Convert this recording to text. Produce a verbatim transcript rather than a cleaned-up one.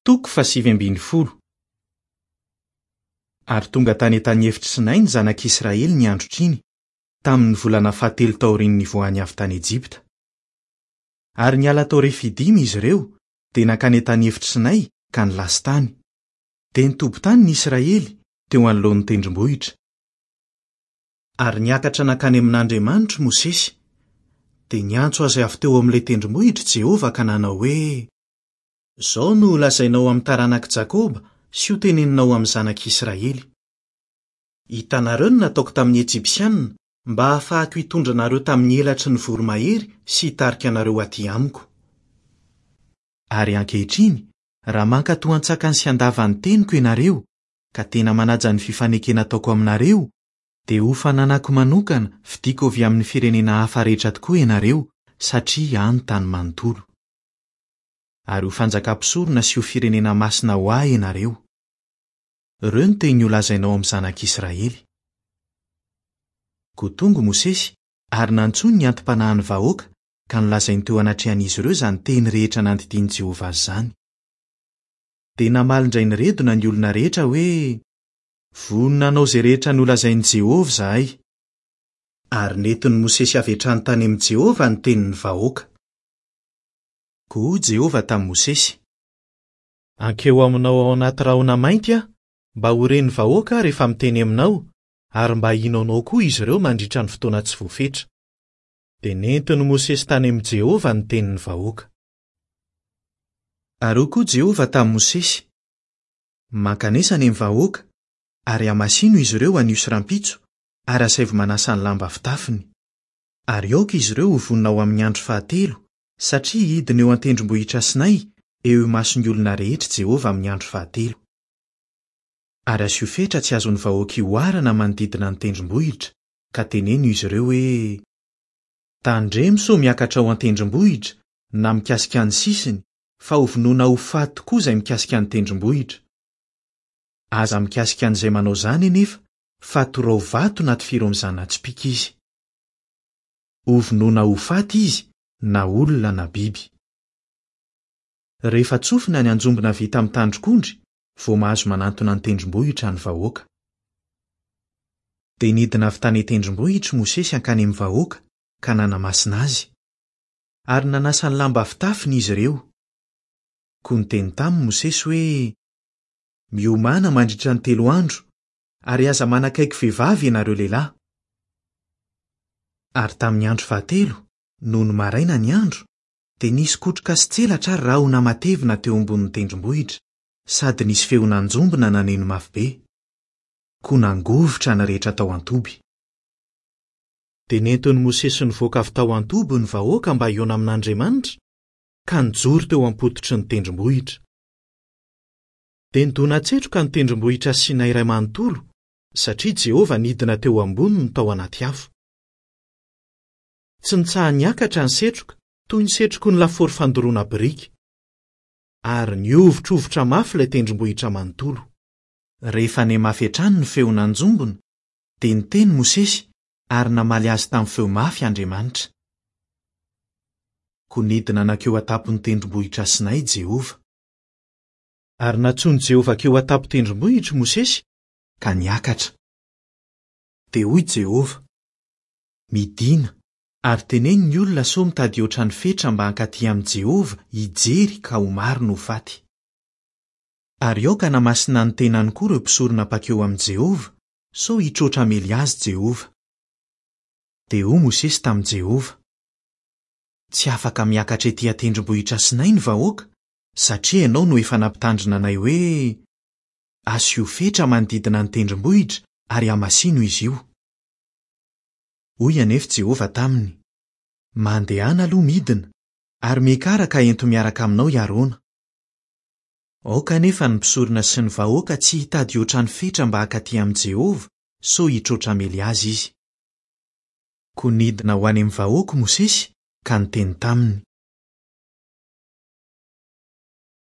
Toko fahasivy ambin'ny folo. Ary tonga tany an-tany efitry Sinay ny zanak'Israely ny androtr'iny, tamin'ny volana fahatelo taorian'ny nivoahany avy tany Ejipta. Ary niala tao Refidima izy ireo, dia nankany an-tany efitry Sinay ka nilasy tany. Dia nitoby tany ny Israely, teo anoloan'ny tendrombohitra. Ary niakatra nankany amin'Andriamanitra Mosesy. Dia niantso azy avy teo amin'ilay tendrombohitra Jehovah ka nanao hoe: "Izao no holazainao amin'ny taranak'i Jakoba sy hoteneninao amin'ny zanak'Israely. Hitanareo ny nataoko tamin'ny Ejipsianina mba hahafahako hitondra anareo tamin'ny elatry ny voromahery sy hitarika anareo aty amiko. Ary ankehitriny, raha mankatò an-tsakany sy an-davany teniko ianareo, ka tena manaja ny fifanekena ataoko aminareo, dia ho fananako manokana fidiko avy amin'ny firenena hafa rehetra tokoa ianareo, satria ahy ny tany manontolo. Ary ho fanjakam-pisorona sy ho firenena masina ho ahy ianareo. Ireo no teny holazainao amin'ny zanak'Israely." Koa tonga Mosesy ary nantsoiny ny anti-panahin'ny vahoaka ka nolazainy teo anatrehan'izy ireo izany teny rehetra nandidian'i Jehovah azy izany. Dia namaly indray niredona ny olona rehetra hoe: "Vonona hanao izay rehetra nolazain'i Jehovah izahay." Ary nentin'i Mosesy avy hatrany tany amin'i Jehovah ny tenin'ny vahoaka. Koa hoy Jehovah tamin'i Mosesy: "Hankeo aminao ao anaty rahona mainty aho, mba ho ren'ny vahoaka aho rehefa miteny aminao, ary mba hino anao koa izy ireo mandritra ny fotoana tsy voafetra." Dia nentin'i Mosesy tany amin'i Jehovah ny tenin'ny vahoaka. Ary hoy koa Jehovah tamin'i Mosesy: "Mankanesa any amin'ny vahoaka, ary hamasino izy ireo anio sy rahampitso, ary asaivo manasa ny lamba fitafiny. Ary aoka izy ireo ho vonona ho amin'ny andro fahatelo, satria hidina eo an-tendrombohitra Sinay, eo imason'ny olona rehetra Jehovah amin'ny andro fahatelo. Ary asio fetra tsy azon'ny vahoaka ihoarana manodidina ny tendrombohitra, ka teneno izy ireo hoe: Tandremo sao miakatra ao an-tendrombohitra na mikasika ny sisiny, fa hovonoina ho faty tokoa izay mikasika ny tendrombohitra. Aza mikasika an'izay manao izany anefa, fa torao vato na tifiro amin'ny zana-tsipìka izy. Hovonoina ho faty izy, na olona na biby. Rehefa tsofina ny anjombona vita amin'ny tandrok'ondry, vao mahazo manantona ny tendrombohitra ny vahoaka. Dia nidina avy tany an-tendrombohitra Mosesy hankany amin'ny vahoaka ka nanamasina azy. Ary nanasa ny lamba fitafiny izy ireo. Koa niteny taminy Mosesy hoe: "Miomàna mandritra ny telo andro, ary aza manakaiky vehivavy ianareo lehilahy." Ary tamin'ny andro fahatelo, nony maraina ny andro, dia nisy kotroka sy tselatra ary rahona matevina teo ambonin'ny tendrombohitra, sady nisy feon'anjombona naneno mafy be. Koa nangovitra ny rehetra tao an-toby. Dia nentin'i Mosesy nivoaka avy tao an-toby ny vahoaka mba hihaona amin'Andriamanitra, ka nijoro teo am-pototry ny tendrombohitra. Dia nidona-tsetroka ny tendrombohitra Sinay iray manontolo, satria Jehovah nidina teo amboniny tao anaty afo. Tsy nitsaha-niakatra ny setroka, toy ny setroky ny lafaoro fandoroana biriky. Ary nihovitrovitra mafy ilay tendrombohitra manontolo. Rehefa nihamafy hatrany ny feon'anjombona, dia niteny Mosesy ary namaly azy tamin'ny feo mafy Andriamanitra. Koa nidina nankeo an-tampon'ny tendrombohitra Sinay Jehovah. Ary nantsoin'i Jehovah hankeo an-tampon-tendrombohitra Mosesy ka niakatra. Dia hoy Jehovah: "Midina, ary teneno ny olona sao mitady hihoatra ny fetra mba hankaty amin'i Jehovah hijery ka ho maro no ho faty. Ary aoka hanamasina ny tenany koa ireo mpisorona mpankeo amin'i Jehovah, sao hitroatra hamely azy Jehovah." Dia hoy Mosesy tamin'i Jehovah: "Tsy afaka miakatra ety an-tendrombohitra Sinay ny vahoaka, satria ianao no efa nampitandrina anay hoe: Asio fetra manodidina ny tendrombohitra ary hamasino izy io." Hoy anefa Jehovah taminy: "Mandehana aloha midina, ary miakara ka ento miaraka aminao i Arona. Aoka anefa ny mpisorona sy ny vahoaka tsy hitady hihoatra ny fetra mba hankaty amin'i Jehovah, sao hitroatra hamely azy izy." Koa nidina ho any amin'ny vahoaka Mosesy ka niteny taminy.